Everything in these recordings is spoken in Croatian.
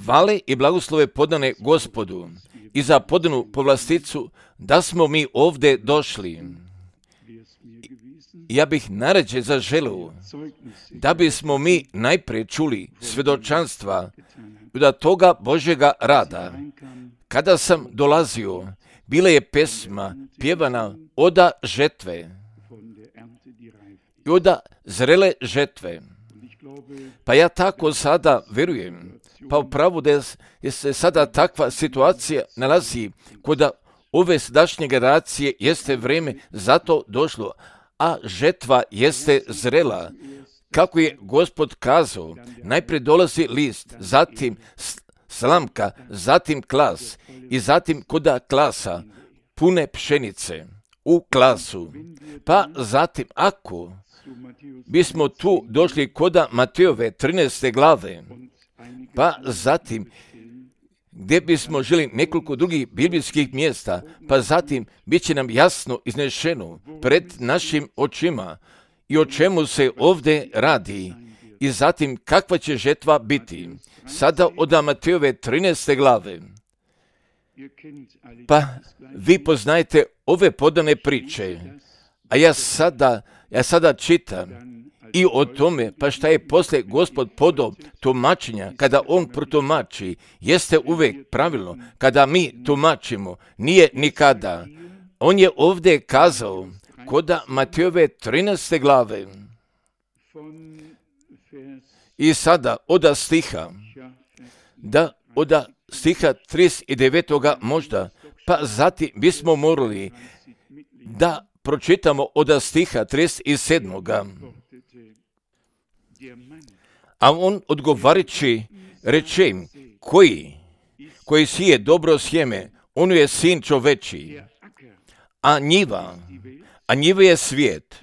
Hvale i blagoslove podane Gospodu i za podanu povlasticu da smo mi ovdje došli. Ja bih najrađe zaželio da bismo mi najprije čuli svjedočanstva od toga Božjega rada. Kada sam dolazio, bila je pesma pjevana oda žetve i oda zrele žetve. Pa ja tako sada vjerujem, pa upravo da se sada takva situacija nalazi kod ove sadašnje generacije, jeste vrijeme zato došlo, a žetva jeste zrela. Kako je Gospod kazao, najprije dolazi list, zatim slamka, zatim klas i zatim koda klasa pune pšenice u klasu. Pa zatim ako bismo tu došli koda Matejove 13. glave, pa zatim gdje bismo želi nekoliko drugih biblijskih mjesta, pa zatim bit će nam jasno iznešeno pred našim očima i o čemu se ovdje radi i zatim kakva će žetva biti. Sada od Matejove 13. glave. Pa vi poznajete ove podane priče, a ja sada čitam i o tome, pa šta je poslije Gospod podao tumačenja, kada on protumači, jeste uvijek pravilno, kada mi tumačimo, nije nikada. On je ovdje kazao, koda Matejove 13. glave, i sada oda stiha, da oda stiha 39. možda, pa zatim bismo morali da pročitamo oda stiha 37. A on odgovarići reče im, koji sije dobro sjeme, on je sin čoveči, a njiva je svijet.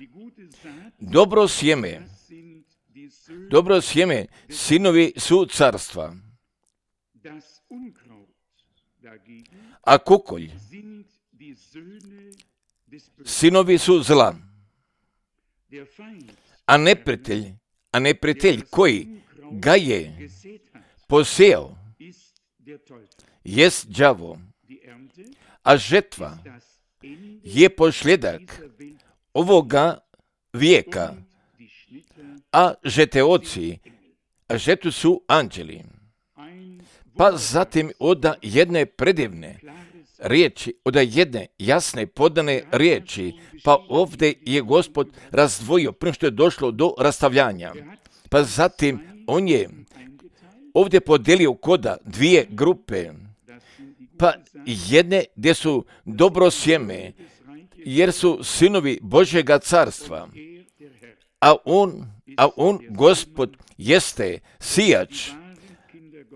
Dobro sjeme, sinovi su carstva, a kukolj, sinovi su zla, a neprijatelj koji ga je posejao jest đavo, a žetva je posljedak ovoga vijeka, a žeteoci, a žetu su anđeli. Pa zatim od jedne predivne riječi, od jedne jasne podane riječi, pa ovdje je Gospod razdvojio prije što je došlo do rastavljanja. Pa zatim on je ovdje podijelio koda dvije grupe, pa jedne gdje su dobro sjeme, jer su sinovi Božjega carstva, a on, Gospod, jeste sijač,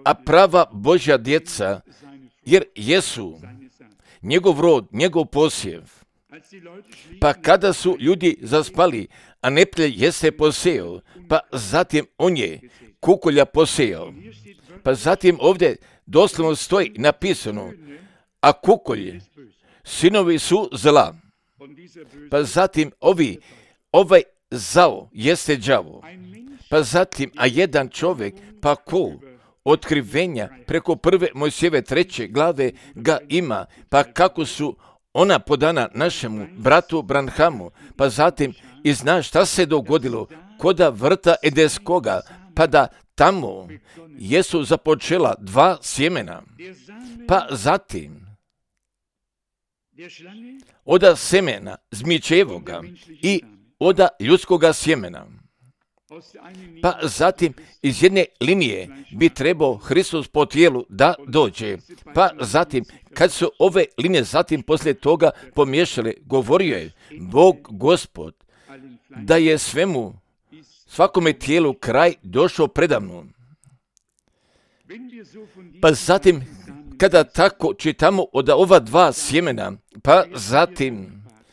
a prava Božja djeca, jer jesu njegov rod, njegov posjev. Pa kada su ljudi zaspali, a neprijatelj jeste posejao, pa zatim on je kukolja posejao. Pa zatim ovdje doslovno stoji napisano, a kukolj, sinovi su zla. Pa zatim ovaj zao jeste đavo. Pa zatim, a jedan čovjek, pa ko? Otkrivenja preko 1. Mojsijeve 3. glave ga ima, pa kako su ona podana našemu bratu Branhamu, pa zatim i zna šta se dogodilo koda vrta Edeskoga, pa da tamo jesu započela dva sjemena, pa zatim oda semena zmičevoga i oda ljudskoga sjemena. Pa zatim iz jedne linije bi trebao Hristos po tijelu da dođe. Pa zatim kad su ove linije zatim poslije toga pomiješale, govorio je Bog Gospod da je svakome tijelu kraj došao predavno. Pa zatim kada tako čitamo od ova dva sjemena, pa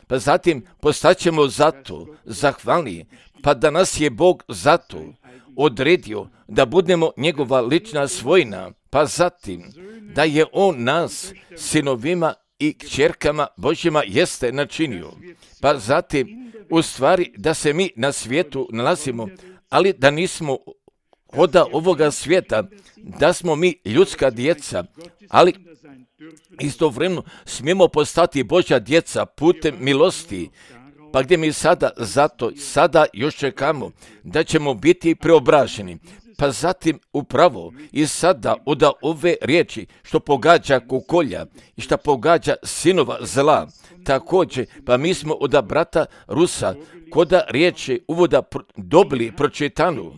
zatim postaćemo zato zahvalni, pa da nas je Bog zato odredio da budemo njegova lična svojina, pa zatim da je on nas sinovima i kćerkama Božjima jeste načinio, pa zatim u stvari da se mi na svijetu nalazimo, ali da nismo oda ovoga svijeta, da smo mi ljudska djeca, ali istovremeno smijemo postati Božja djeca putem milosti, pa gdje mi sada još čekamo da ćemo biti preobraženi. Pa zatim upravo i sada od ove riječi što pogađa kukolja i što pogađa sinova zla, također pa mi smo od brata Rusa koda riječi uvoda dobili pročitanu,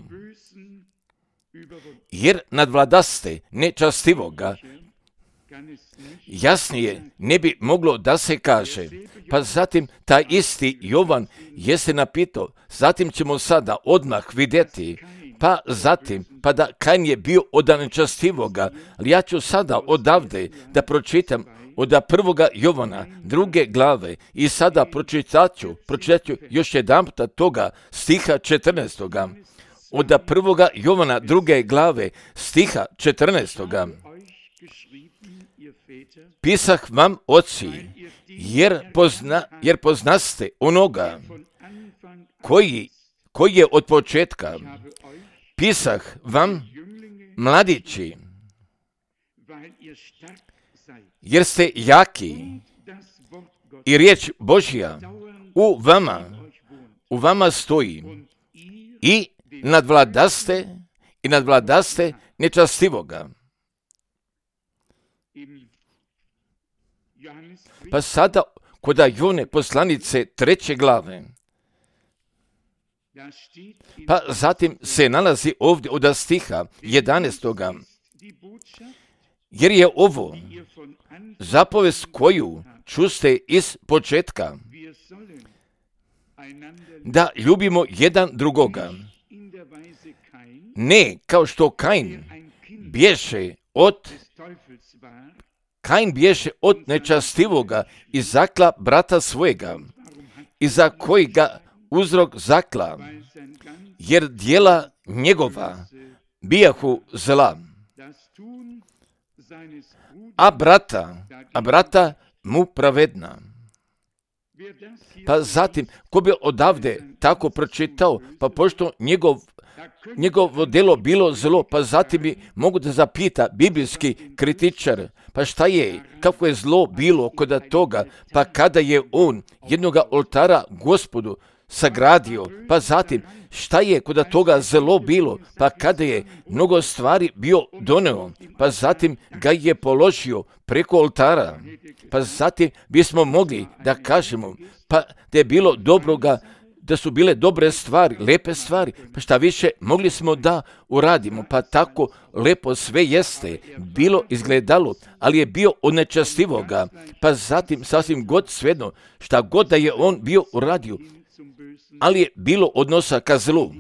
jer nadvladaste nečastivoga, jasnije ne bi moglo da se kaže. Pa zatim taj isti Jovan jeste napitao, zatim ćemo sada odmah vidjeti, pa zatim, pa da Kain je bio od nečastivoga, ali ja ću sada odavde da pročitam od 1. Jovana 2. glave i sada pročitat ću još jedan puta toga stiha 14. Od 1. Jovana 2. glave stiha 14. Pisah vam, oci, jer poznaste onoga koji je od početka. Pisah vam, mladići, jer ste jaki i riječ Božja u vama stoji i nadvladaste nečastivoga. Pa sada kod Jovane poslanice 3. glave, pa zatim se nalazi ovdje od stiha 11. Jer je ovo zapovest koju čuste iz početka, da ljubimo jedan drugoga. Ne kao što Kain bješe od nečastivoga i zakla brata svojega, i za kojega uzrok zakla, jer djela njegova bijahu zla, a brata mu pravedna. Pa zatim, ko bi odavde tako pročitao, pa pošto njegovo djelo bilo zlo, pa zatim bi mogu da zapita biblijski kritičar, pa šta je, kako je zlo bilo kod toga, pa kada je on jednoga oltara Gospodu sagradio, pa zatim šta je kod toga zlo bilo, pa kada je mnogo stvari bio doneo, pa zatim ga je položio preko oltara, pa zatim bismo mogli da kažemo, pa da je bilo dobroga, da su bile dobre stvari, lepe stvari, pa šta više mogli smo da uradimo, pa tako lepo sve jeste, bilo izgledalo, ali je bio od nečastivoga, pa zatim sasvim god svejedno, šta god da je on bio uradio, ali je bilo odnosa ka zlu,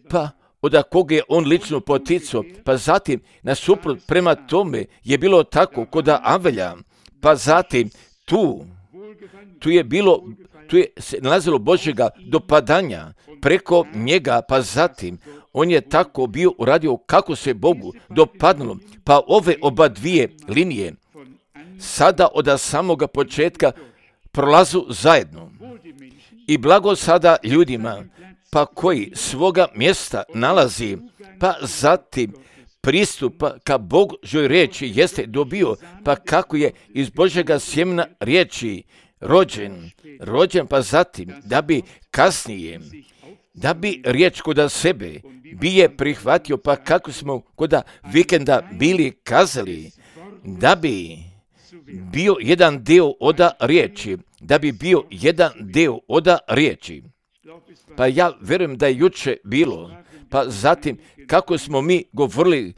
pa od koga je on lično poticao, pa zatim nasuprot prema tome je bilo tako kod Avelja, pa zatim tu je se nalazilo Božjega dopadanja preko njega, pa zatim on je tako bio uradio kako se Bogu dopadnulo, pa ove oba dvije linije sada od samoga početka prolazu zajedno. I blago sada ljudima, pa koji svoga mjesta nalazi, pa zatim pristupa ka Božjoj riječi jeste dobio, pa kako je iz Božjega sjemena riječi rođen, pa zatim da bi kasnije, da bi riječ kod sebe bije prihvatio, pa kako smo kod vikenda bili kazali, da bi bio jedan dio od riječi, Pa ja vjerujem da je juče bilo, pa zatim kako smo mi govorili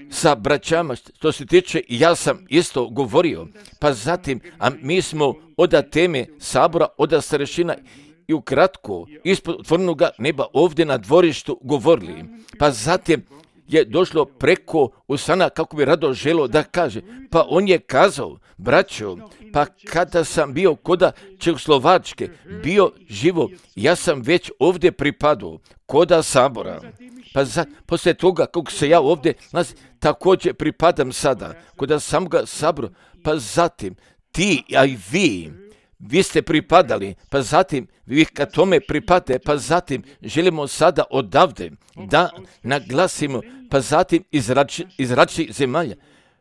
sa braćama, što se tiče, ja sam isto govorio, pa zatim, a mi smo od teme sabora, od starešina i ukratko ispod otvorenoga neba ovdje na dvorištu govorili, pa zatim je došlo preko usana kako bi rado želo da kaže, pa on je kazao, braćo, pa kada sam bio koda Čehoslovačke, bio živo, ja sam već ovdje pripadao koda sabora. Pa poslije toga kako se ja ovdje također pripadam sada koda samoga sabora, pa zatim ti, a i vi vi ste pripadali, pa zatim vi kad tome pripate, pa zatim želimo sada odavde da naglasimo, pa zatim iz različitih zemalja.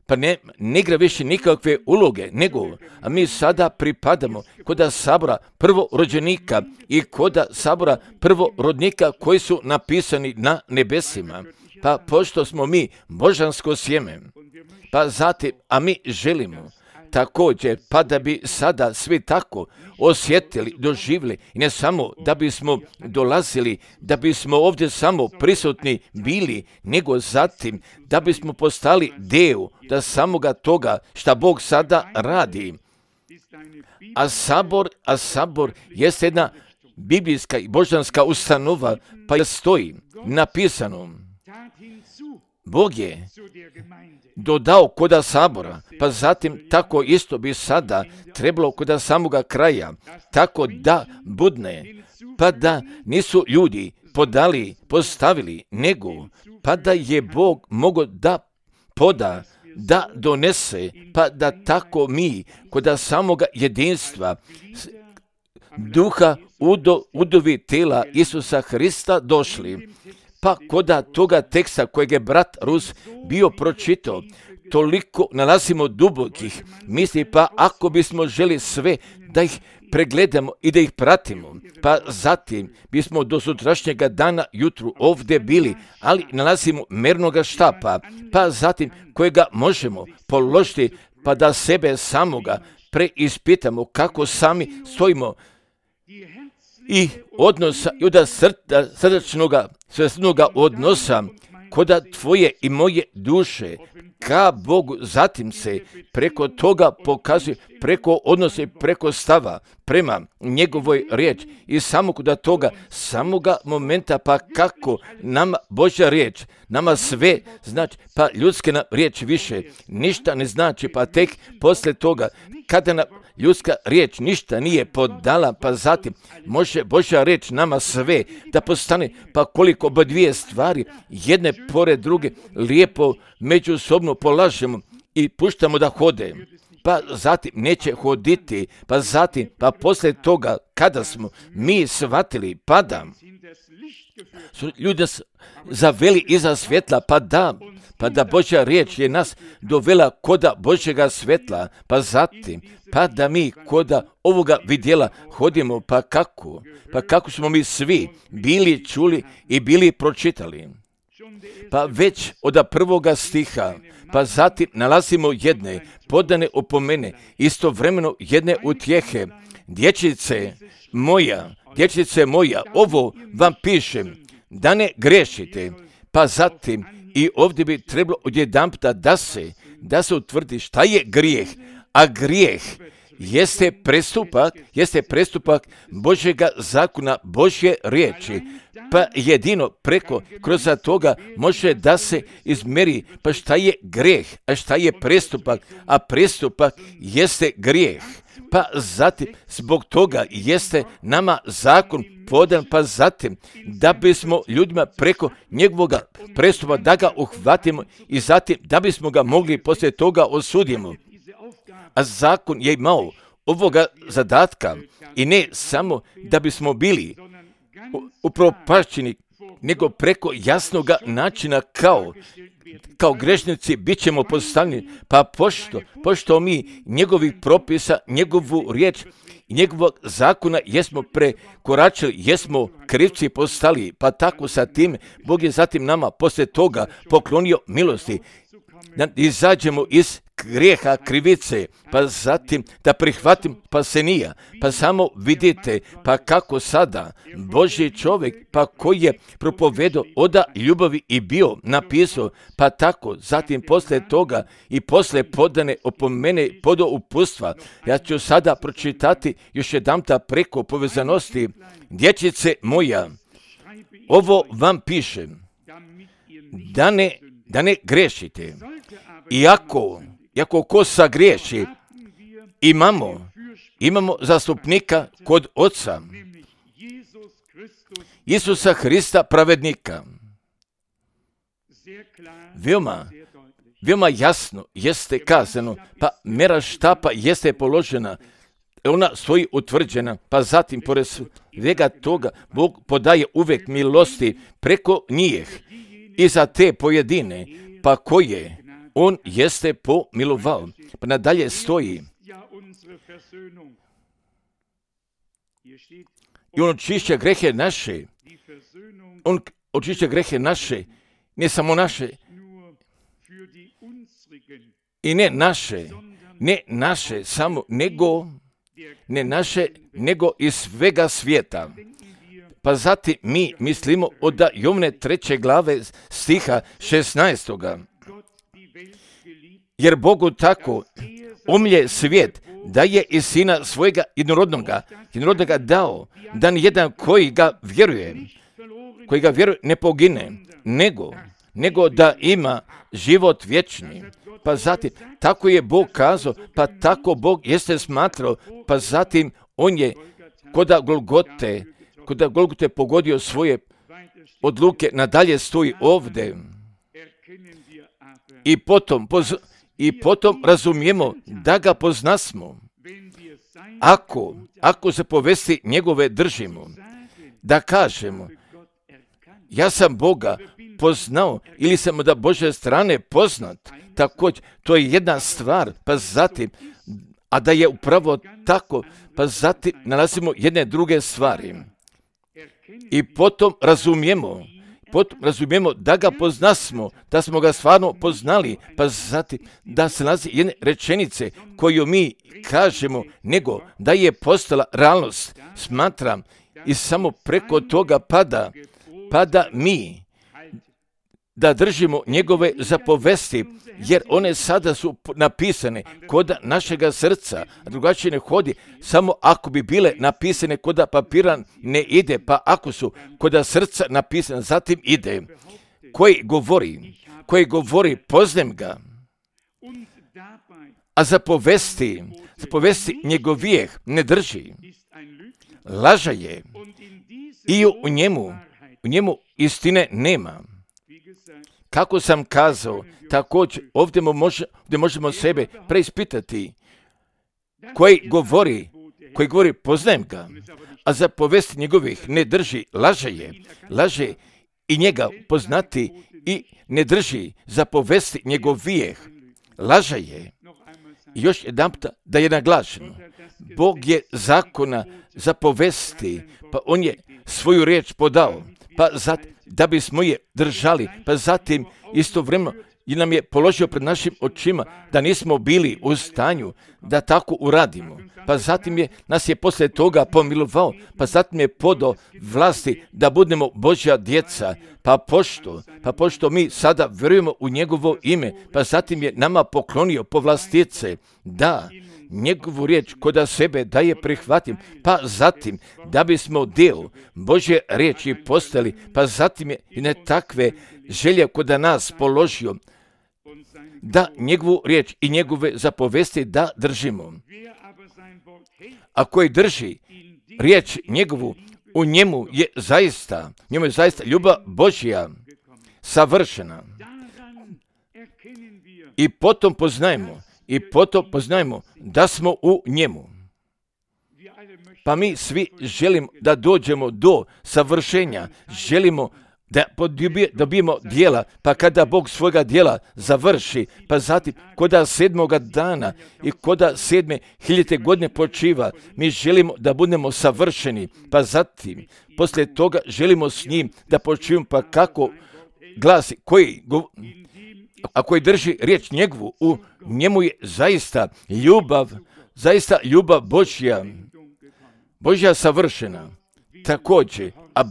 Pa ne igra više nikakve uloge, nego, a mi sada pripadamo kod sabora prvorođenika i kod sabora prvorodnika koji su napisani na nebesima. Pa pošto smo mi božansko sjeme, pa zatim, a mi želimo također, pa da bi sada svi tako osjetili, doživjeli, i ne samo da bismo dolazili, da bismo ovdje samo prisutni bili, nego zatim da bismo postali dio da samoga toga šta Bog sada radi. A sabor jeste jedna biblijska i božanska ustanova, pa je stoji napisano, Bog je dodao koda sabora, pa zatim tako isto bi sada trebalo koda samoga kraja, tako da budne, pa da nisu ljudi postavili, nego pa da je Bog mogao da poda, da donese, pa da tako mi koda samoga jedinstva duha udovi tela Isusa Hrista došli. Pa koda toga teksta kojeg je brat Rus bio pročitao, toliko nalazimo dubokih misli, pa ako bismo želi sve da ih pregledamo i da ih pratimo, pa zatim bismo do sutrašnjega dana jutru ovdje bili, ali nalazimo mernoga štapa, pa zatim kojega možemo položiti, pa da sebe samoga preispitamo kako sami stojimo i odnosa, i od srdačnoga, svesnoga odnosa koda tvoje i moje duše ka Bogu, zatim se preko toga pokazuje, preko odnose, preko stava prema njegovoj riječ i samo koda toga, samoga momenta, pa kako nama Božja riječ, nama sve znači, pa ljudske nam riječ više ništa ne znači, pa tek poslije toga, kada nam ljudska riječ ništa nije podala, pa zatim može Božja riječ nama sve da postane, pa koliko ba dvije stvari, jedne pored druge, lijepo međusobno polažemo i puštamo da hode, pa zatim neće hoditi, pa zatim, pa poslije toga, kada smo mi shvatili, pa da su ljudi zaveli iza svjetla, pa da Božja riječ je nas dovela koda Božjega svjetla, pa zatim, pa da mi koda ovoga vidjela hodimo, pa kako smo mi svi bili čuli i bili pročitali. Pa već od prvoga stiha, pa zatim nalazimo jedne podane opomene, istovremeno jedne utjehe. Dječice moja, ovo vam pišem, da ne grešite, pa zatim i ovdje bi trebalo odjedanputa da se utvrdi šta je grijeh, a grijeh jeste prestupak Božjega zakona, Božje riječi, pa jedino kroz toga može da se izmeri, pa šta je grijeh, a šta je prestupak, a prestupak jeste grijeh. Pa zatim, zbog toga jeste nama zakon podan, pa zatim, da bismo ljudima preko njegovoga prestupa da ga uhvatimo i zatim da bismo ga mogli poslije toga osudimo. A zakon je imao ovoga zadatka i ne samo da bismo bili upropašćeni, nego preko jasnoga načina kao grešnici bit ćemo postavljeni, pa pošto mi njegovih propisa, njegovu riječ i njegovog zakona jesmo prekoračili, jesmo krivci postali, pa tako sa tim Bog je zatim nama poslije toga poklonio milosti, da izađemo iz grijeha, krivice, pa zatim da prihvatim spasenija. Pa samo vidite, pa kako sada Božji čovjek, pa koji je propovedao oda ljubavi i bio napisao, pa tako zatim poslije toga i poslije podane opomene podo upustva. Ja ću sada pročitati još jedanputa preko povezanosti. Dječice moja, ovo vam pišem, da ne grešite. Iako ko sagriješi, imamo zastupnika kod Oca, Isusa Hrista pravednika. Veoma jasno jeste kazano, pa mera štapa jeste položena ona stoji utvrđena, pa zatim pored svega toga Bog podaje uvijek milosti preko njih i za te pojedine, pa koje on jeste pomilovao. Pa nadalje stoji i on očišća grehe naše. On očišća grehe naše, ne samo naše, i ne naše samo, nego iz svega svijeta. Pa zatim mi mislimo od Jovne 3. glave stiha 16. Jer Bogu tako umlje svijet da je i sina svojega jednorodnoga dao, da nijedan koji ga vjeruje ne pogine, nego da ima život vječni. Pa zatim, tako je Bog kazao, pa tako Bog jeste smatrao, pa zatim on je kod Golgote pogodio svoje odluke, nadalje stoji ovdje. I potom razumijemo da ga poznasmo, ako se povesti njegove držimo, da kažemo, ja sam Boga poznao ili sam od Božje strane poznat. Također, to je jedna stvar, pa zatim, a da je upravo tako, pa zatim nalazimo jedne druge stvari. I potom razumijemo da ga poznasmo, da smo ga stvarno poznali, pa zatim da se nalazi jedne rečenice koju mi kažemo, nego da je postala realnost. Smatram i samo preko toga pada mi da držimo njegove zapovesti, jer one sada su napisane kod našega srca, a drugačije ne hodi. Samo ako bi bile napisane kod papira ne ide, pa ako su kod srca napisane, zatim ide. Koji govori poznajem ga, a zapovesti njegovijeh ne drži, laža je i u njemu istine nema. Kako sam kazao, također ovdje možemo sebe preispitati. Koji govori poznajem ga, a zapovesti njegovih ne drži, laže i njega poznati i ne drži zapovesti njegovijeh, laže je. I još jedanputa da je naglašeno, Bog je zakona zapovesti, pa on je svoju riječ podao, pa zatim da bismo je držali, pa zatim istovremeno nam je položio pred našim očima da nismo bili u stanju da tako uradimo. Pa zatim nas je poslije toga pomilovao, pa zatim je podao vlasti da budemo Božja djeca, pa pošto mi sada vjerujemo u njegovo ime, pa zatim je nama poklonio povlastice da njegovu riječ kod sebe da je prihvatim, pa zatim da bismo dio Božje riječi postali, pa zatim je i ne takve želje kod nas položio da njegovu riječ i njegove zapovesti da držimo. A koji drži riječ njegovu, u njemu je zaista ljubav Božja savršena. I potom poznajemo da smo u njemu. Pa mi svi želimo da dođemo do savršenja, želimo da dobijemo djela, pa kada Bog svojega djela završi, pa zatim koda 7. dana i koda 7.000 godine počiva, mi želimo da budemo savršeni, pa zatim poslije toga želimo s njim da počivimo, pa kako glasi, a koji drži riječ njegovu, u njemu je zaista ljubav Božja savršena. Također, a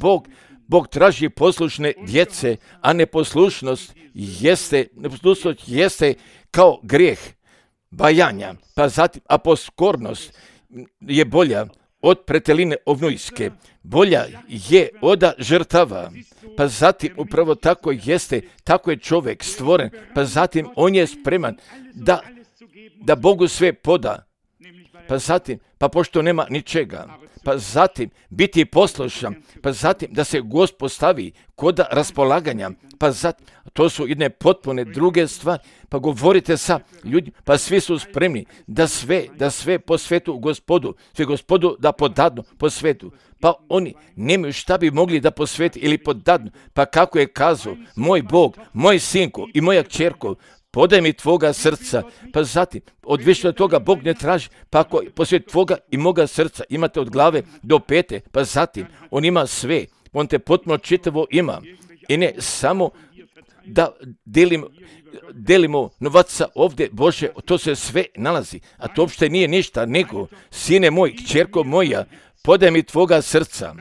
Bog traži poslušne djece, a neposlušnost jeste kao grijeh bajanja, pa zatim a poskornost je bolja od preteline ovnujske, bolja je od žrtava, pa zatim upravo tako je čovjek stvoren, pa zatim on je spreman da Bogu sve poda, pa zatim, pa pošto nema ničega, pa zatim biti poslušan, pa zatim da se Gospod stavi kod raspolaganja, pa zatim, to su jedne potpune druge stvari, pa govorite sa ljudima, pa svi su spremni da sve po svetu Gospodu, sve Gospodu da podadnu po svetu, pa oni nemaju šta bi mogli da posveti ili podadnu, pa kako je kazao, moj Bog, moj sinko i moja kćerko, podaj mi tvoga srca, pa zatim, od više od toga Bog ne traži, pa ako posvjet tvoga i moga srca imate od glave do pete, pa zatim, on ima sve, on te potpuno čitavo ima, i ne samo da delimo novaca ovdje, Bože, to se sve nalazi, a to uopšte nije ništa, nego, sine moj, kćerko moja, podaj mi tvoga srca,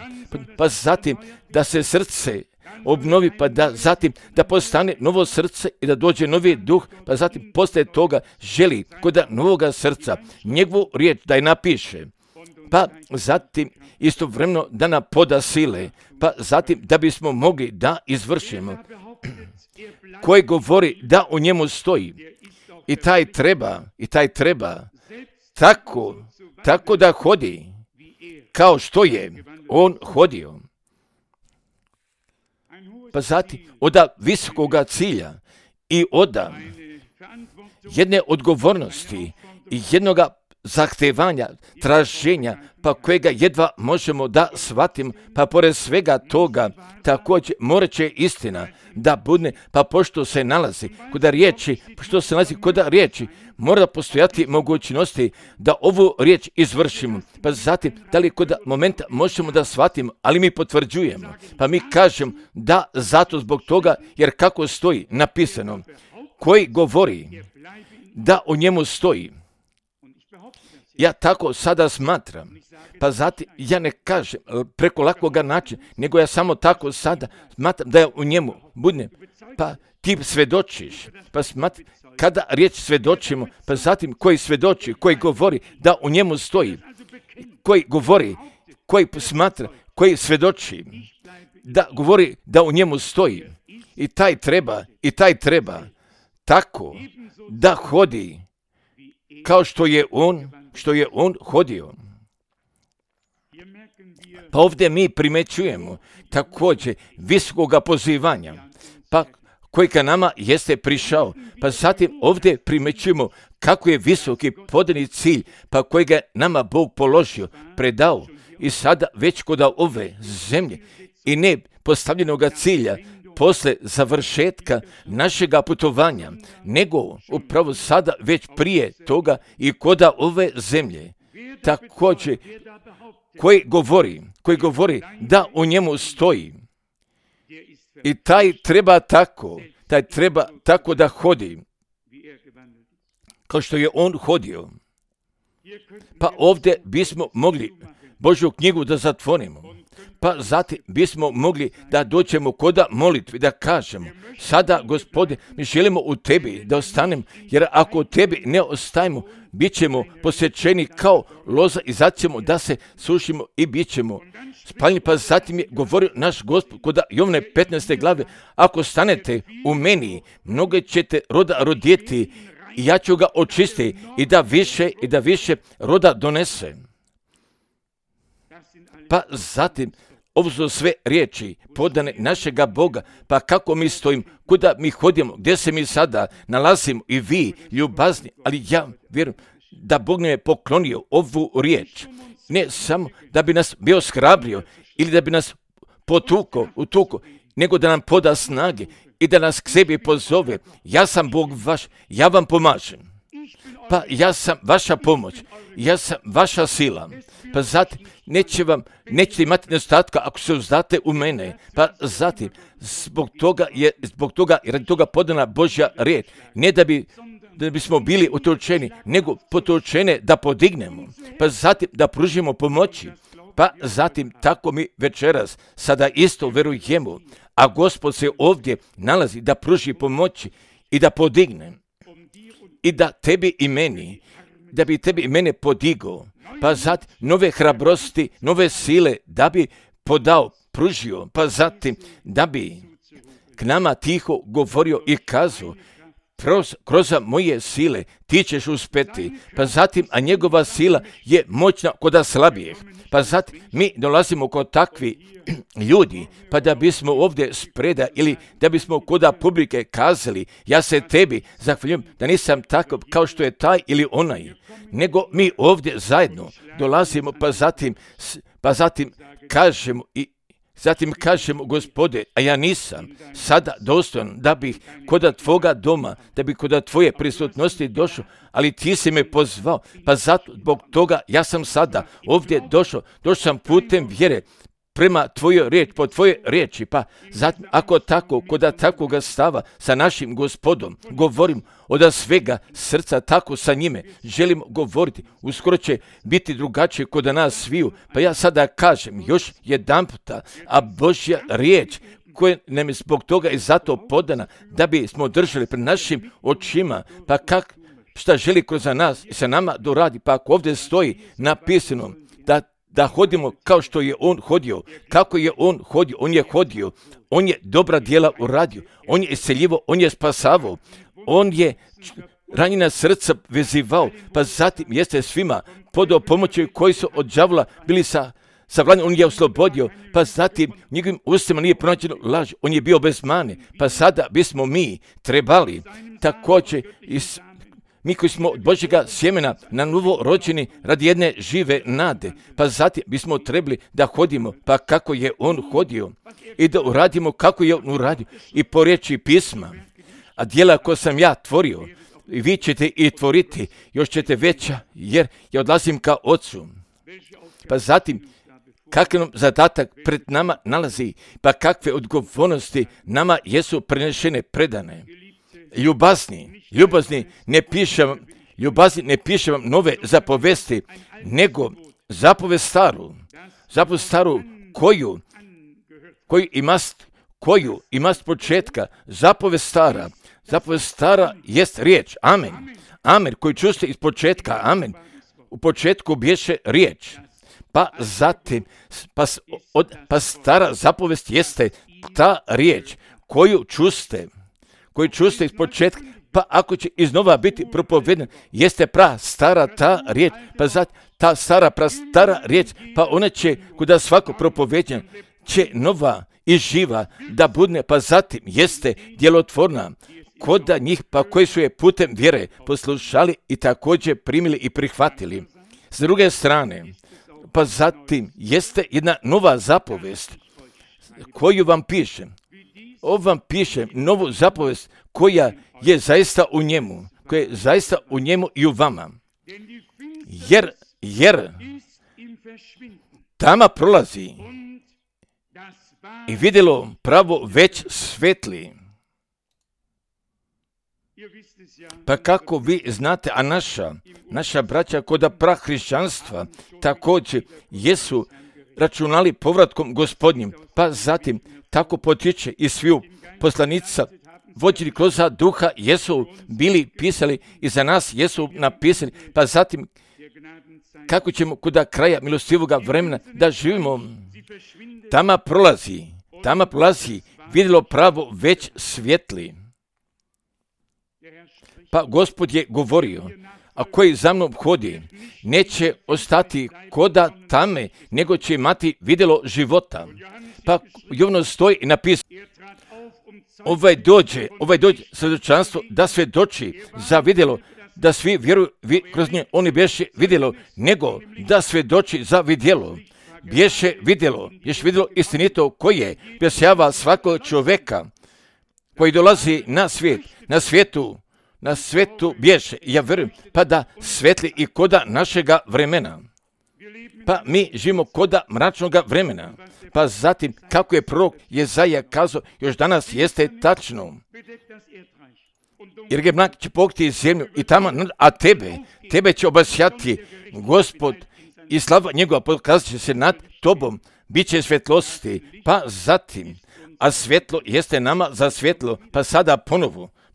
pa zatim, da se srce obnovi, pa da zatim da postane novo srce i da dođe novi duh, pa zatim poslije toga želi kod novoga srca njegovu riječ da je napiše, pa zatim istovremeno da nam poda sile, pa zatim da bismo mogli da izvršimo, koji govori da u njemu stoji, i taj treba tako da hodi kao što je on hodio. Pa zatim od visokoga cilja i od jedne odgovornosti i jednoga zahtevanja, traženja, pa kojega jedva možemo da shvatimo, pa pored svega toga također morat će istina da bude, pa pošto se nalazi kod riječi, mora postojati mogućnosti da ovu riječ izvršimo, pa zatim da li kod momenta možemo da shvatimo, ali mi potvrđujemo, pa mi kažemo da zato zbog toga, jer kako stoji napisano, koji govori da o njemu stoji. Ja tako sada smatram, pa zatim ja ne kažem preko lakoga načina, nego ja samo tako sada smatram da je u njemu budne, pa ti svedočiš, pa smatram, kada riječ svedočimo, pa zatim koji svedoči, koji govori da u njemu stoji, koji govori, koji smatra, koji svedoči, da govori da u njemu stoji, i taj treba tako da hodi kao što je on hodio. Pa ovdje mi primećujemo također visokoga pozivanja, pa koji ka nama jeste prišao, pa zatim ovdje primećujemo kako je visoki podani cilj, pa koji ga nama Bog položio, predao, i sada već kod ove zemlje i ne postavljenoga cilja, posle završetka našega putovanja, nego upravo sada već prije toga i kod ove zemlje. Također, koji govori da u njemu stoji, i taj treba tako da hodi, kao što je on hodio. Pa ovdje bismo mogli Božju knjigu da zatvorimo, pa zatim bismo mogli da dođemo kod molitvi, da kažemo, sada Gospode, mi želimo u tebi da ostanemo, jer ako u tebi ne ostajemo, bit ćemo posjećeni kao loza i zato ćemo da se sušimo i bit ćemo spaljeni. Pa zatim je govorio naš Gospod kod Jovane 15. glave, ako stanete u meni, mnoge ćete roda roditi i ja ću ga očistiti i da više roda donese. Pa zatim, ovo su sve riječi podane našega Boga, pa kako mi stojimo, kuda mi hodimo, gdje se mi sada nalazimo, i vi ljubazni, ali ja vjerujem da Bog nam je poklonio ovu riječ, ne samo da bi nas bio shrabrio ili da bi nas utuko, nego da nam poda snage i da nas k sebi pozove. Ja sam Bog vaš, ja vam pomažem. Pa ja sam vaša pomoć, ja sam vaša sila. Pa zatim nećete imati nedostatka ako se uzdate u mene. Pa zatim zbog toga i radi toga podana Božja riječ, ne da bismo bili utočeni, nego potočene da podignemo. Pa zatim da pružimo pomoći. Pa zatim tako mi večeras sada isto verujemo, a Gospod se ovdje nalazi da pruži pomoći i da podigne. I da tebi i meni, da bi tebi i mene podigao, pa zatim nove hrabrosti, nove sile da bi pružio, pa zatim da bi k nama tiho govorio i kazao, kroz moje sile ti ćeš uspjeti. Pa zatim, a njegova sila je moćna kod slabijih. Pa zatim mi dolazimo kod takvi ljudi, pa da bismo ovdje spreda ili da bismo kod publike kazali, ja se tebi zahvaljujem da nisam takav kao što je taj ili onaj, nego mi ovdje zajedno dolazimo, pa zatim kažemo, Gospode, a ja nisam sada dostojan da bih kod tvoga doma, da bih kod tvoje prisutnosti došao, ali ti si me pozvao, pa zato zbog toga ja sam sada ovdje došao sam putem vjere, prema tvojoj riječi, po tvojoj riječi, pa zatim ako tako, kod takvoga stava sa našim Gospodom, govorim od svega srca, tako sa njime želim govoriti, uskoro će biti drugačije kod nas sviju, pa ja sada kažem još jedanputa, a Božja riječ koja nam je zbog toga i zato podana, da bi smo držali pred našim očima, pa šta želi kroz nas i sa nama doradi, pa ako ovdje stoji napisano da hodimo kao što je on hodio. Kako je on hodio? On je hodio. On je dobra djela uradio. On je isceljivo, on je spasavao. On je ranjena srca vezivao. Pa zatim jeste svima podao pomoći koji su od đavola bili sa vladom. On je oslobodio. Pa zatim njegovim ustima nije pronađeno laž. On je bio bez mane. Pa sada bismo mi trebali također mi koji smo od Božjega sjemena na novo rođeni radi jedne žive nade, pa zatim bismo trebali da hodimo, pa kako je on hodio i da uradimo kako je on uradio i po riječi pisma. A djela koje sam ja tvorio, i vi ćete i tvoriti, još ćete veća, jer ja odlazim ka Ocu. Pa zatim, kakav nam zadatak pred nama nalazi, pa kakve odgovornosti nama jesu prenešene, predane. Ljubazni, ne pišem vam nove zapovesti, nego zapovest staru, koju imast početka, zapovest stara jest riječ, amen, koju čuste iz početka, amen, u početku bješe riječ, pa zatim, pa stara zapovest jeste ta riječ, koju čuste iz početka, pa ako će iznova biti propovedan, jeste stara ta riječ, pa zatim ta stara riječ, pa ona će, kuda svako propoveđan, će nova i živa da budne, pa zatim jeste djelotvorna, koda njih, pa koji su je putem vjere poslušali i također primili i prihvatili. S druge strane, pa zatim jeste jedna nova zapovest, koju vam pišem. Ovo vam pišem novu zapovest koja je zaista u njemu i u vama. Jer tama prolazi i vidjelo pravo već svetli. Pa kako vi znate, a naša braća kod prahrišćanstva također jesu računali povratkom Gospodnjim, pa zatim tako potiče i sviju poslanica vođeni kroz duha jesu bili pisali i za nas jesu napisali, pa zatim kako ćemo kuda kraja milostivoga vremena da živimo. Tama prolazi, vidjelo pravo već svjetli. Pa Gospod je govorio, a koji za mnom hodi, neće ostati koda tame, nego će imati vidjelo života. Pa Jovanu stoji i napisano, ovaj dođe svjedočanstvo da svjedoči za vidjelo, da svi vjeruju kroz nje, oni bješe vidjelo, nego da svjedoči za vidjelo. Bješe vidjelo istinito koje objašnjava svakog čovjeka koji dolazi na svijetu bješe, ja vjerujem, pa da svetli i koda našega vremena. Pa mi živimo koda mračnoga vremena. Pa zatim, kako je prorok Jezaja kazao, još danas jeste tačno. Jer ga mrak će pokriti zemlju i tamo, a tebe će obasjati Gospod i slava njegova pokazat će se nad tobom, bit će svjetlosti. Pa zatim, a svjetlo jeste nama za svjetlo, pa sada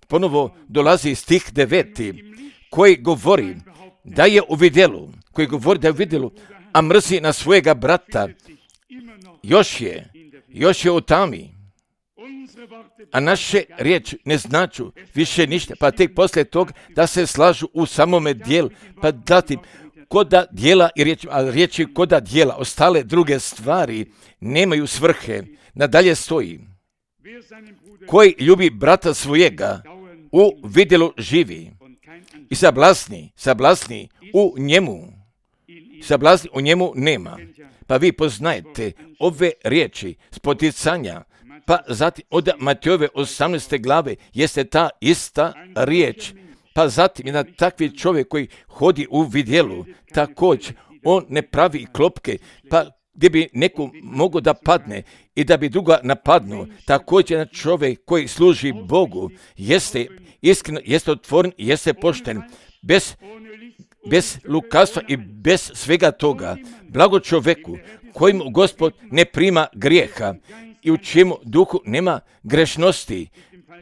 ponovo dolazi stih 9. koji govori da je u vidjelu, a mrzi na svojega brata, još je u tami. A naše riječi ne značu više ništa, pa tek poslije toga da se slažu u samome dijelu, pa zatim koda dijela i riječi, a riječi koda dijela, ostale druge stvari nemaju svrhe. Nadalje stoji, koji ljubi brata svojega, u vidjelu živi i sablasni u njemu nema. Pa vi poznajete ove riječi s poticanja, pa zatim od Matejove 18. glave jeste ta ista riječ. Pa zatim jedan takvi čovjek koji hodi u vidjelu, također on ne pravi klopke, pa gdje bi neko mogao da padne i da bi druga napadnuo. Također jedan čovjek koji služi Bogu jeste iskreno, jeste otvoren i jeste pošten, bez lukavstva i bez svega toga. Blago čovjeku kojim Gospod ne prima grijeha i u čemu duhu nema grešnosti,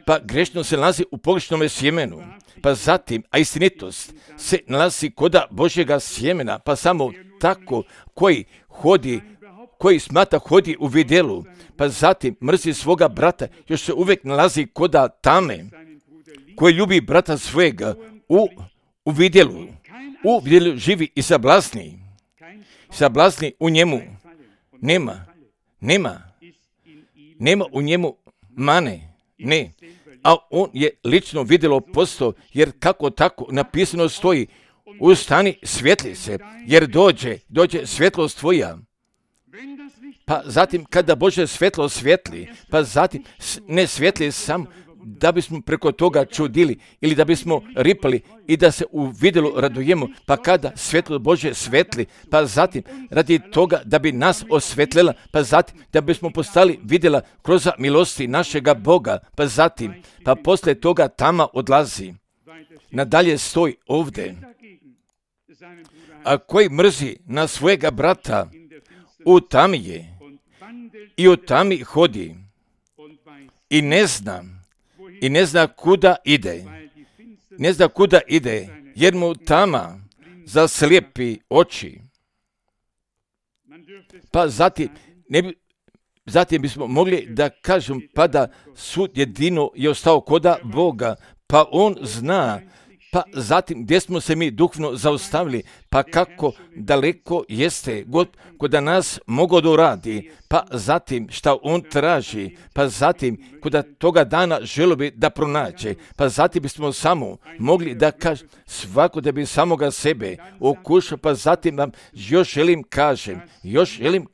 pa grešnost se nalazi u pogrešnome sjemenu, pa zatim, a istinitost se nalazi koda Božjega sjemena, pa samo tako koji smatra hodi u vidjelu, pa zatim mrzi svoga brata, još se uvijek nalazi koda tame, koji ljubi brata svojega u vidjelu živi i sablasni u njemu nema u njemu mane, ne, a on je lično vidjelo postao, jer kako tako napisano stoji, ustani, svijetli se, jer dođe svjetlost tvoja. Pa zatim kada Bože svjetlo svijetli, pa zatim ne svijetli sam da bismo preko toga čudili ili da bismo ripali i da se u vidjelu radujemo, pa kada svjetlo Bože svijetli, pa zatim radi toga da bi nas osvjetlila, pa zatim da bismo postali vidjela kroz milosti našega Boga, pa zatim, pa poslije toga tama odlazi. Nadalje stoji ovdje, a koji mrzi na svojega brata, u tami je i u tami hodi i ne zna kuda ide, jer mu tama zaslijepi oči. Pa zatim bismo mogli da kažem, pa da sud jedino je ostao koda Boga, pa on zna, pa zatim gdje smo se mi duhovno zaustavili, pa kako daleko jeste God koda nas mogo da uradi, pa zatim šta on traži, pa zatim koda toga dana želo bi da pronađe, pa zatim bismo samo mogli da kažem svako da bi samoga sebe okušao, pa zatim vam još želim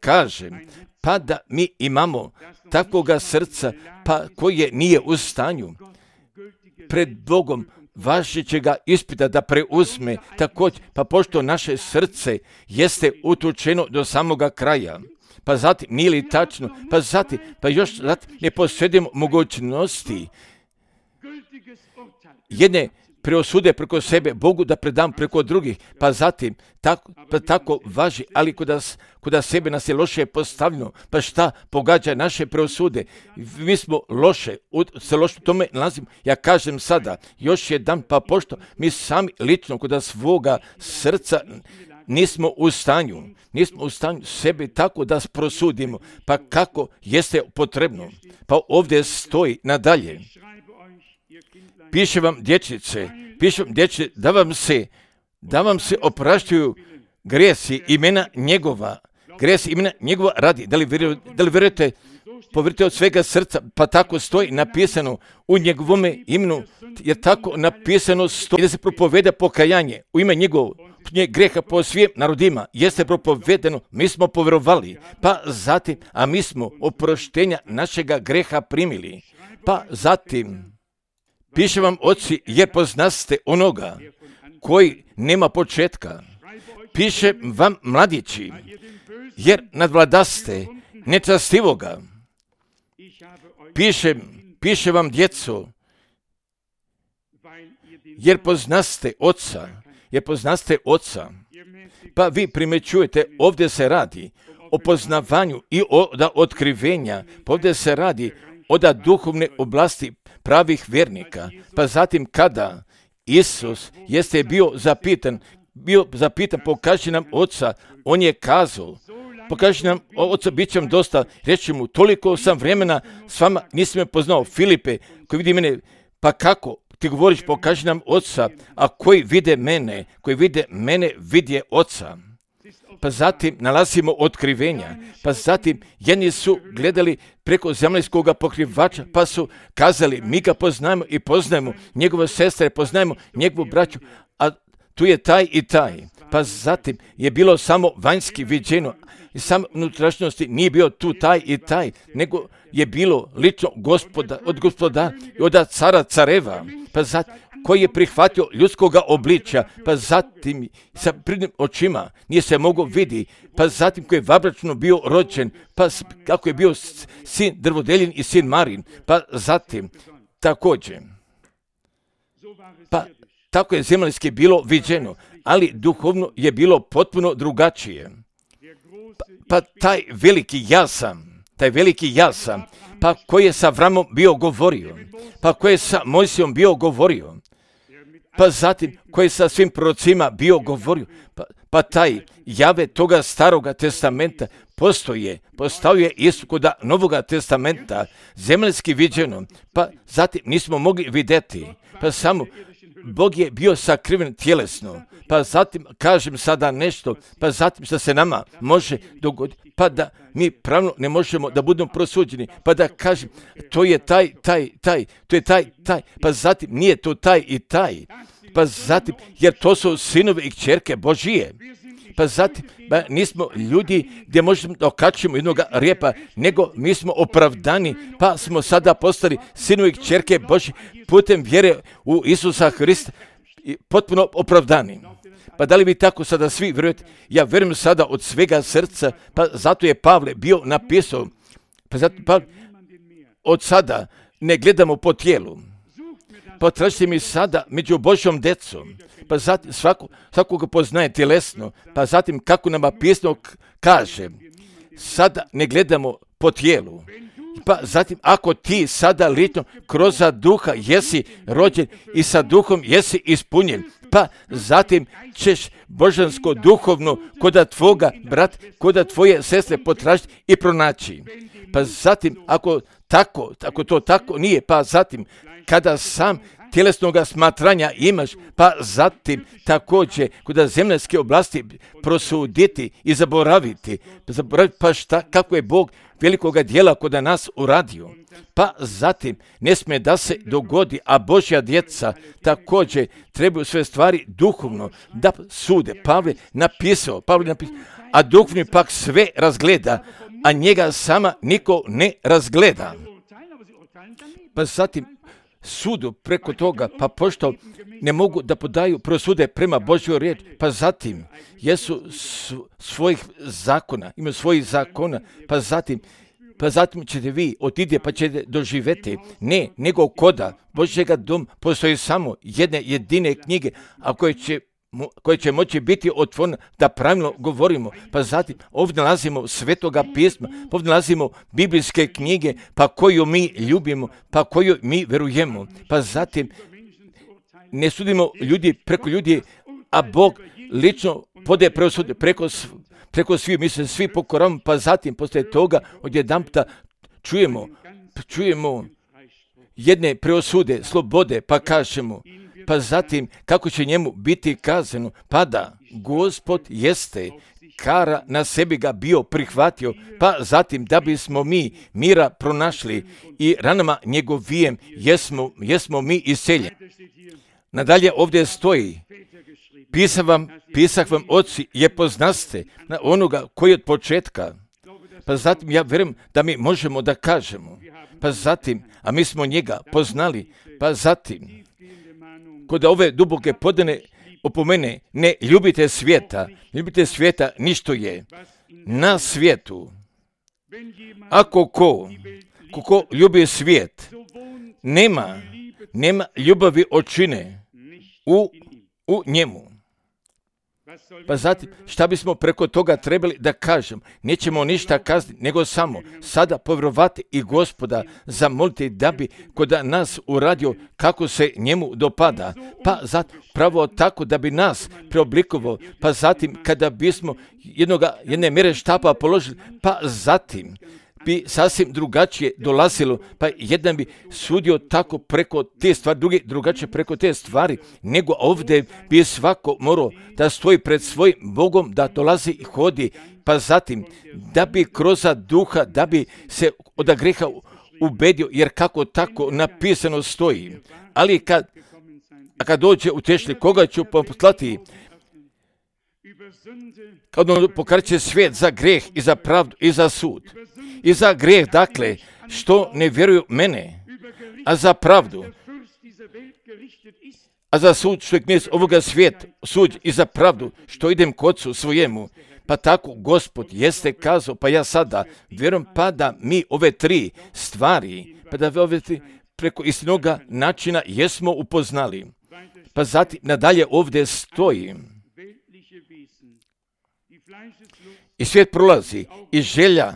kažem, pa da mi imamo takvoga srca, pa koje nije u stanju pred Bogom važećega ispita da preuzme također, pa pošto naše srce jeste utučeno do samoga kraja, pa zatim nije li tačno, pa još ne posjedimo mogućnosti jedne preosude preko sebe Bogu da predam preko drugih, pa zatim tako važi, ali kuda sebe nas je loše postavljeno, pa šta pogađa naše preosude? Mi smo loše tome nalazimo. Ja kažem sada, još jedan, pa pošto mi sami lično kuda svoga srca nismo u stanju sebe tako da prosudimo, pa kako jeste potrebno. Pa ovdje stoji nadalje. Piše vam dječice, da vam se opraštaju grijesi imena njegova radi. Da li vjerujete, povjerujete od svega srca, pa tako stoji napisano u njegovome imenu, jer tako napisano stoji da se propoveda pokajanje u ime njegovog greha po svim narodima, jeste propovedeno, mi smo povjerovali, pa zatim, a mi smo oproštenja našega greha primili, pa zatim, piše vam oci, jer poznaste onoga koji nema početka. Piše vam mladići, jer nadvladaste nečastivoga. Piše vam djeco, jer poznaste oca. Pa vi primećujete, ovdje se radi o poznavanju i od otkrivenja, pa ovdje se radi od duhovne oblasti pravih vjernika. Pa zatim kada Isus jeste bio zapitan pokaži nam oca, on je kazao, pokaži nam oca, bit će vam dosta, reći mu, toliko sam vremena s vama, nisam me poznao. Filipe, koji vidi mene, pa kako ti govoriš, pokaži nam oca, a koji vide mene, vidje oca. Pa zatim nalazimo otkrivenja, pa zatim jedni su gledali preko zemaljskog pokrivača, pa su kazali, mi ga poznajemo i poznajemo njegove sestre, poznajemo njegovu braću, a tu je taj i taj. Pa zatim je bilo samo vanjski viđeno, i samo unutrašnjosti nije bio tu taj i taj, nego je bilo lično od gospoda i od cara careva, pa zatim koji je prihvatio ljudskoga obličja, pa zatim sa pridnim očima nije se mogao vidi, pa zatim koji je vabračno bio rođen, pa kako je bio sin Drvodelin i sin Marin, pa zatim također. Pa tako je zemaljski bilo viđeno, ali duhovno je bilo potpuno drugačije. Pa taj veliki ja sam, pa koji je sa Avramom bio govorio, pa koji je sa Mojsijom bio govorio, pa zatim koji je sa svim prorocima bio govorio, pa taj Jave toga staroga testamenta postao je isto kod novoga testamenta, zemaljski viđeno, pa zatim nismo mogli vidjeti, pa samo Bog je bio sakriven tjelesno, pa zatim kažem sada nešto, pa zatim što se nama može dogoditi, pa da mi pravno ne možemo da budemo prosuđeni, pa da kažem to je taj, to je taj, pa zatim nije to taj i taj, pa zatim jer to su sinovi i kćerke Božije. Pa zatim, nismo ljudi gdje možemo da okačimo jednog rijepa, nego mi smo opravdani, pa smo sada postali sinovi i kćerke Božje putem vjere u Isusa Hrista, potpuno opravdani. Pa da li vi tako sada svi vjerujete? Ja vjerujem sada od svega srca, pa zato je Pavle bio napisao, pa zato Pavle, od sada ne gledamo po tijelu, potražite mi sada među Božjom decom, pa zatim svakoga poznaje tjelesno, pa zatim kako nama pismo kaže, sada ne gledamo po tijelu, pa zatim ako ti sada lično kroz duha jesi rođen i sa duhom jesi ispunjen, pa zatim ćeš božansko duhovno koda tvoga brat, koda tvoje sestre potražiti i pronaći. Pa zatim ako to tako nije, pa zatim kada sam tjelesnog smatranja imaš, pa zatim također kod zemaljske oblasti prosuditi i zaboraviti pa kako je Bog velikoga dijela kod nas uradio. Pa zatim ne smije da se dogodi, a Božja djeca također trebaju sve stvari duhovno da sude. Pavle napisao, a duhovni pak sve razgleda, a njega sama niko ne razgleda. Pa zatim sudu preko toga, pa pošto ne mogu da podaju prosude prema Božjoj riječi, pa zatim jesu svojih zakona, imaju svojih zakona, pa zatim ćete vi otidje pa ćete doživjeti, ne, nego koda Božjega dom postoji samo jedne jedine knjige, a koje će moći biti otvorene da pravilno govorimo. Pa zatim ovdje nalazimo svetoga pisma, ovdje nalazimo biblijske knjige, pa koju mi ljubimo, pa koju mi verujemo. Pa zatim ne sudimo ljudi preko ljudi, a Bog lično podaje presude preko svih, mi se svi pokoravamo, pa zatim poslije toga odjedanputa čujemo jedne preosude, slobode, pa kažemo, pa zatim kako će njemu biti kazano, pa da Gospod jeste kara na sebi ga bio prihvatio, pa zatim da bismo mi mira pronašli i ranama njegovijem jesmo mi iseljeni. Nadalje ovdje stoji, pisah vam oci je poznaste na onoga koji od početka. Pa zatim ja vjerujem da mi možemo da kažemo, pa zatim, a mi smo njega poznali, pa zatim, kod ove duboke podane opomene, ne ljubite svijeta ništo je na svijetu. Ako ko ljubi svijet, nema ljubavi očine u njemu. Pa zatim, šta bismo preko toga trebali da kažem? Nećemo ništa kazati, nego samo sada povjerovati i Gospoda zamoliti da bi kod nas uradio kako se njemu dopada. Pa zatim, pravo tako da bi nas preoblikovao. Pa zatim, kada bismo jedne mjere štapa položili, pa zatim bi sasvim drugačije dolazilo, pa jedan bi sudio tako preko te stvari, drugi drugačije preko te stvari, nego ovdje bi svako morao da stoji pred svojim Bogom, da dolazi i hodi, pa zatim da bi kroz duha, da bi se od grijeha ubedio, jer kako tako napisano stoji. Ali kad dođe utešli, koga ću poslati? Kad on pokreće svijet za grijeh i za pravdu i za sud. I za grijeh, dakle, što ne vjeruju mene, a za pravdu, a za sud, što je knez ovoga svijeta, sud i za pravdu, što idem k Otcu svojemu. Pa tako Gospod jeste kazao, pa ja sada vjerujem pa da mi ove tri stvari, pa da ove tri preko istinoga načina jesmo upoznali. Pa zatim nadalje ovdje stoji. I svijet prolazi i želja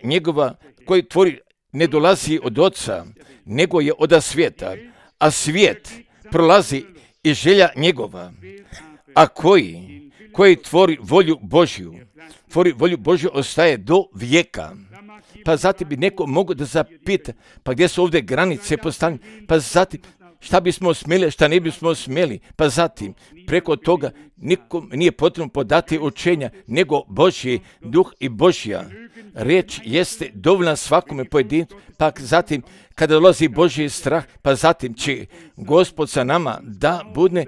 njegova koji tvori ne dolazi od Oca, nego je od svijeta. A svijet prolazi i želja njegova. A koji tvori volju Božju ostaje do vijeka. Pa zatim bi neko mogao da zapita, pa gdje su ovdje granice postavljene, pa zatim šta bismo smjeli, šta ne bismo smjeli, pa zatim preko toga nikom nije potrebno podati učenja, nego Božji duh i Božja riječ jeste dovoljna svakome pojedincu, pa zatim kada dolazi Božji strah, pa zatim će Gospod sa nama da bude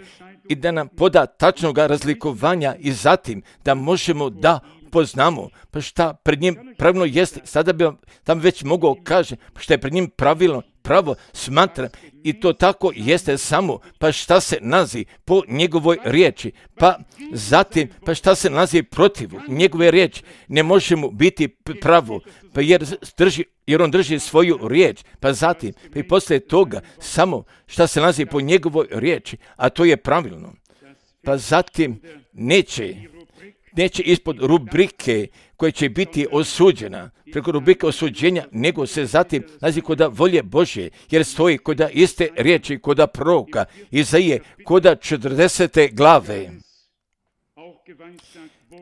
i da nam poda tačnog razlikovanja i zatim da možemo da poznamo, pa šta pred njim pravilno jeste, sada bi vam tam već mogao kaže, pa šta je pred njim pravilno, pravo smatram i to tako jeste samo, pa šta se nalazi po njegovoj riječi, pa zatim, pa šta se nalazi protiv njegove riječi, ne možemo biti pravo, pa jer on drži svoju riječ, pa zatim, pa i poslije toga, samo šta se nalazi po njegovoj riječi, a to je pravilno, pa zatim neće ispod rubrike koja će biti osuđena, preko rubrike osuđenja, nego se zatim nalazi kod volje Božje, jer stoji kod iste riječi, kod proroka, Izaije, kod 40. glave.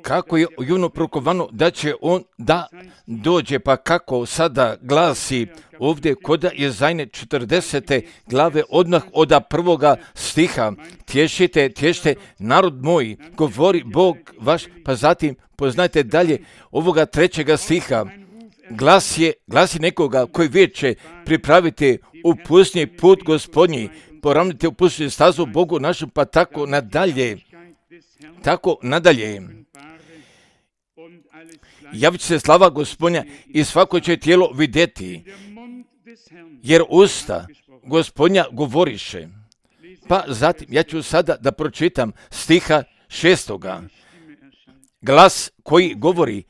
Kako je javno prorokovano da će on da dođe, pa kako sada glasi ovdje kod Izaije 40. glave, odmah od prvoga stiha, tješite narod moj, govori Bog vaš, pa zatim poznajte dalje ovoga 3. stiha, glasi nekoga koji viče, pripravite u pustinji put Gospodnji, poravnite u pustinji stazu Bogu našem, pa tako nadalje. Javit će se slava Gospodnja i svako će tijelo vidjeti, jer usta Gospodnja govoriše. Pa zatim, ja ću sada da pročitam stiha 6. Glas koji govori,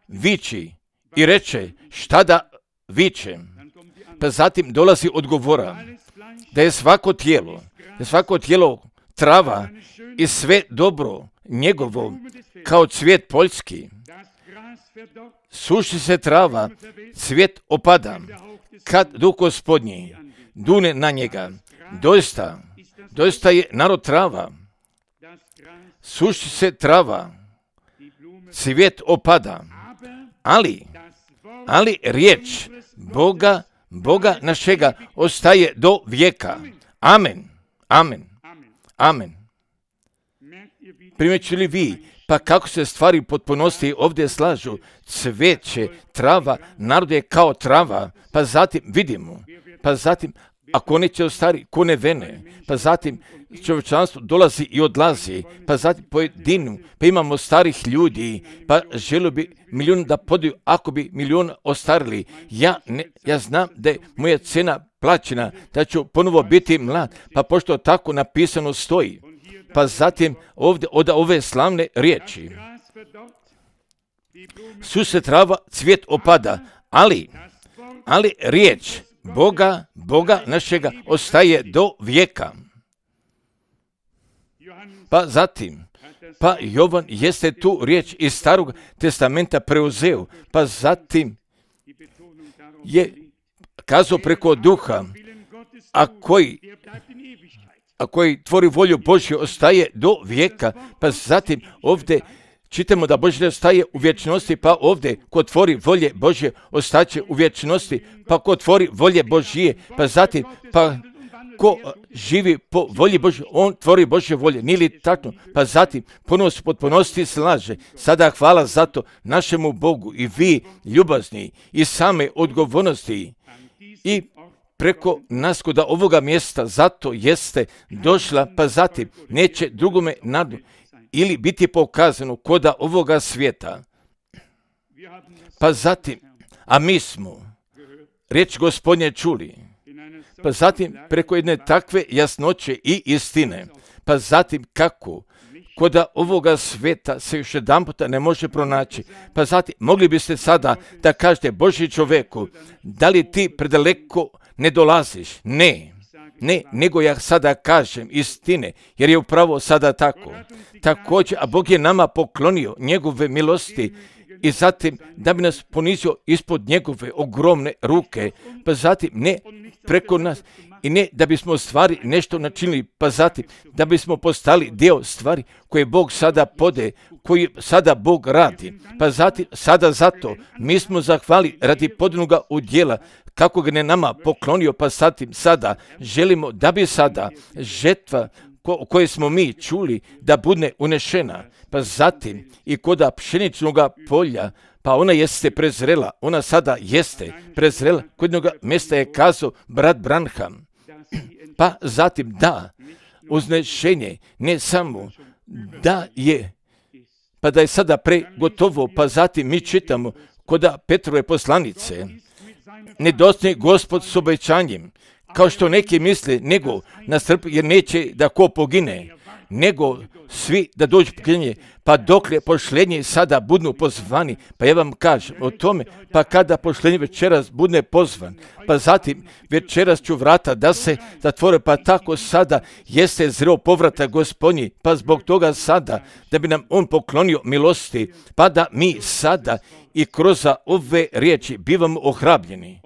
viči i reče, šta da vičem? Pa zatim dolazi odgovora, da je svako tijelo trava i sve dobro njegovo kao cvijet poljski. Suši se trava, cvijet opada, kad duh Gospodnji dune na njega. Doista je narod trava. Suši se trava, cvijet opada, ali riječ Boga našega ostaje do vijeka. Amen. Primjeću li vi, pa kako se stvari potpunosti ovdje slažu, cveće, trava, narod je kao trava, pa zatim vidimo, pa zatim ako neće ostari, ko ne vene, pa zatim čovječanstvo dolazi i odlazi, pa zatim pojedinu, pa imamo starih ljudi, pa želio bi milijun da podiju, ako bi milijun ostarili. Ja znam da je moja cena plaćena, da ću ponovo biti mlad, pa pošto tako napisano stoji. Pa zatim ovdje od ove slavne riječi. Suše trava, cvijet opada, ali riječ Boga našega ostaje do vijeka. Pa zatim, pa Jovan jeste tu riječ iz Starog testamenta preuzeo, pa zatim je kazao preko duha, a koji tvori volju Božju ostaje do vijeka, pa zatim ovdje čitamo da Božje ostaje u vječnosti, pa ovdje ko tvori volje Božje ostaće u vječnosti, pa ko tvori volje Božje, pa zatim, pa ko živi po volji Božje, on tvori Božje volje, nije li tako? Pa zatim, ponovo se potpunosti slaže. Sada hvala za to našemu Bogu i vi, ljubazni, i same odgovornosti i preko nas kod ovoga mjesta, zato jeste došla, pa zatim neće drugome nadu ili biti pokazano koda ovoga svijeta. Pa zatim, a mi smo riječ Gospodnje čuli, pa zatim preko jedne takve jasnoće i istine, pa zatim kako koda ovoga svijeta se još jedan puta ne može pronaći, pa zatim mogli biste sada da kažete Božji čoveku, da li ti predaleko ne dolaziš? Ne, nego ja sada kažem istine, jer je upravo sada tako. Također, a Bog je nama poklonio njegove milosti i zatim da bi nas ponizio ispod njegove ogromne ruke, pa zatim ne preko nas i ne da bismo stvari nešto načinili, pa zatim da bismo postali dio stvari koje Bog sada pode, koji sada Bog radi, pa zatim sada zato mi smo zahvali radi podnoga udjela kako ga ne nama poklonio, pa zatim sada želimo da bi sada žetva koje smo mi čuli da bude unešena, pa zatim i koda pšeničnog polja, pa ona jeste prezrela, ona sada jeste prezrela, kod jednog mjesta je kazao brat Branham, pa zatim da, uznešenje ne samo da je, pa da je sada pregotovo, pa zatim mi čitamo koda Petrove poslanice, nedostaje Gospod s obećanjem, kao što neki misle, nego nastrpi, jer neće da ko pogine, nego svi da dođu poginje, pa dokle pošlenje sada budu pozvani, pa ja vam kažem o tome, pa kada pošlenje večeras bude pozvan, pa zatim večeras ću vrata da se zatvore, pa tako sada jeste zreo povrata Gospodnji, pa zbog toga sada da bi nam on poklonio milosti, pa da mi sada i kroz ove riječi bivamo ohrabljeni,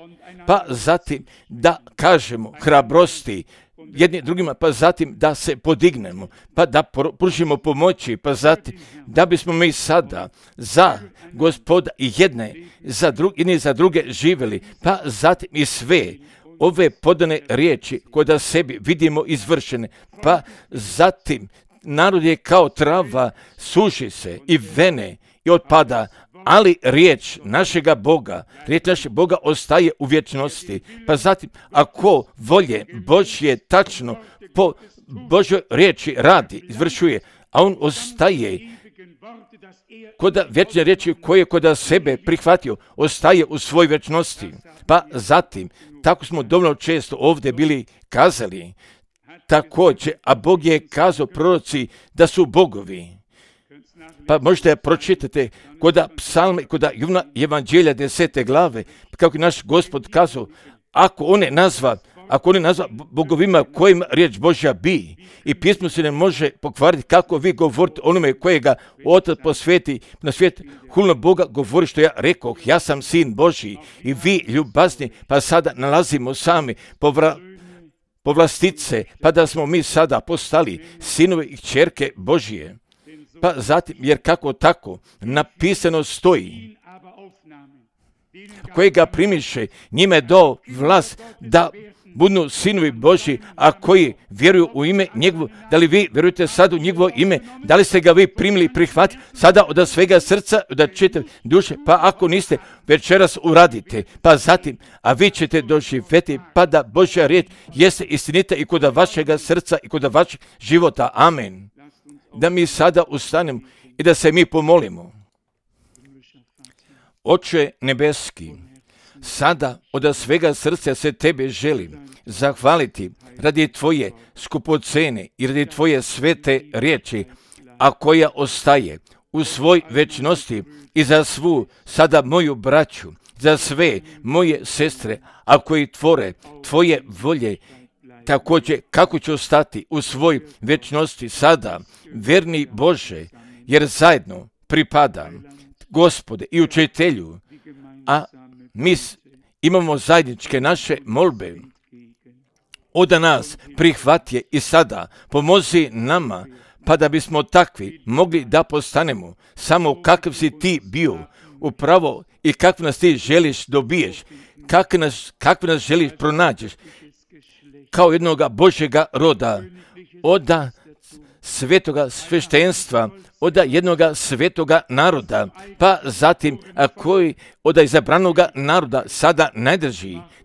pa zatim da kažemo hrabrosti jedni drugima, pa zatim da se podignemo, pa da pružimo pomoći, pa zatim da bismo mi sada za Gospoda i jedni za druge živjeli, pa zatim i sve ove podane riječi koje da sebi vidimo izvršene, pa zatim narod je kao trava, suši se i vene i otpada, ali riječ našega Boga ostaje u vječnosti. Pa zatim, ako volje Božje tačno po Božoj riječi radi, izvršuje, a on ostaje koda vječne riječi koje koda sebe prihvatio, ostaje u svoj vječnosti. Pa zatim, tako smo dovoljno često ovdje bili kazali, također, a Bog je kazao proroci da su bogovi. Pa možete pročitati koda psalme, koda Evanđelja 10. glave, kako je naš Gospod kazao, ako on ne nazva bogovima kojim riječ Božja bi, i pismo se ne može pokvariti kako vi govorite onome kojega Otac posveti na svijet, hulno Boga govori što ja rekoh, ja sam sin Božji i vi ljubazni, pa sada nalazimo sami povlastice, pa da smo mi sada postali sinovi i kćerke Božije. Pa zatim, jer kako tako napisano stoji, kojega primiše, njime do vlast da budu sinovi Božji, a koji vjeruju u ime njegovo. Da li vi vjerujete sad u njegovo ime? Da li ste ga vi primili i prihvatili sada od svega srca, od čitave duše? Pa ako niste, večeras uradite. Pa zatim, a vi ćete doživjeti, pa da Božja riječ jeste istinita i kod vašega srca i kod vašeg života. Amen. Da mi sada ustanemo i da se mi pomolimo. Oče nebeski, sada od svega srca se tebe želim zahvaliti radi tvoje skupocene i radi tvoje svete riječi, a koja ostaje u svoj večnosti i za svu sada moju braću, za sve moje sestre, a koji tvore tvoje volje također kako ću ostati u svoj vječnosti sada, vjerni Bože, jer zajedno pripadam Gospode i Učitelju, a mi imamo zajedničke naše molbe. Oda nas prihvati i sada pomozi nama, pa da bismo takvi mogli da postanemo samo kakav si ti bio, upravo i kako nas ti želiš dobiješ, kako nas želiš pronađeš, kao jednoga Božjega roda, oda svetoga sveštenstva, oda jednoga svetoga naroda, pa zatim koji oda izabranoga naroda sada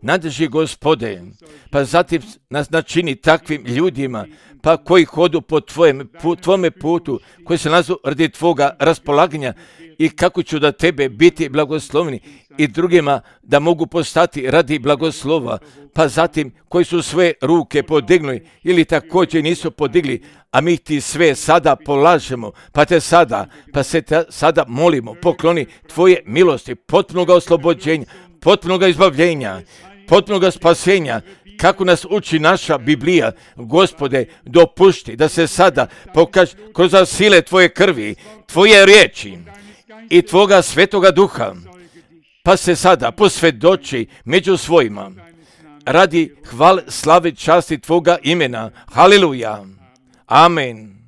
nadrži Gospode, pa zatim nas načini takvim ljudima, pa koji hodu po tvome putu, koji se nalazu radi tvoga raspolaganja i kako ću da tebe biti blagoslovni i drugima da mogu postati radi blagoslova, pa zatim koji su sve ruke podignuli ili također nisu podigli, a mi ti sve sada polažemo, pa se sada molimo, pokloni tvoje milosti, potpunoga oslobođenja, potpunoga izbavljenja, potpunoga spasenja, kako nas uči naša Biblija. Gospode, dopušti da se sada pokaže kroz sile tvoje krvi, tvoje riječi i tvoga svetoga duha, pa se sada posvjedoči među svojima radi hvale, slave, časti tvoga imena. Haleluja. Amen.